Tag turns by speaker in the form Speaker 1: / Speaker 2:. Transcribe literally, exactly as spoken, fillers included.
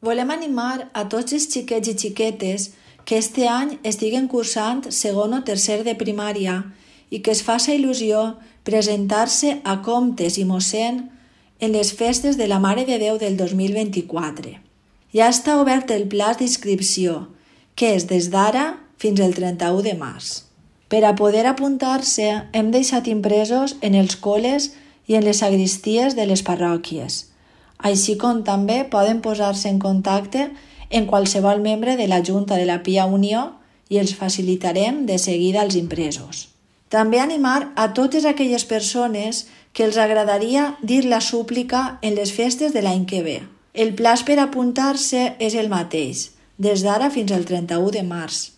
Speaker 1: Volem animar a tots els xiquets i xiquetes que este any estiguen cursant segon o tercer de primària i que es faça il·lusió presentar-se a Comtes i Mossèn en les festes de la Mare de Déu del dos mil vint-i-quatre. Ja està obert el plaç d'inscripció, que és des d'ara fins al trenta-u de març. Per a poder apuntar-se hem deixat impresos en els col·les i en les sagristies de les parròquies, així com també poden posar-se en contacte en qualsevol membre de la Junta de la Pia Unió i els facilitarem de seguida els impresos. També animar a totes aquelles persones que els agradaria dir la súplica en les festes de l'any que ve. El plaç per apuntar-se és el mateix, des d'ara fins al trenta-u de març.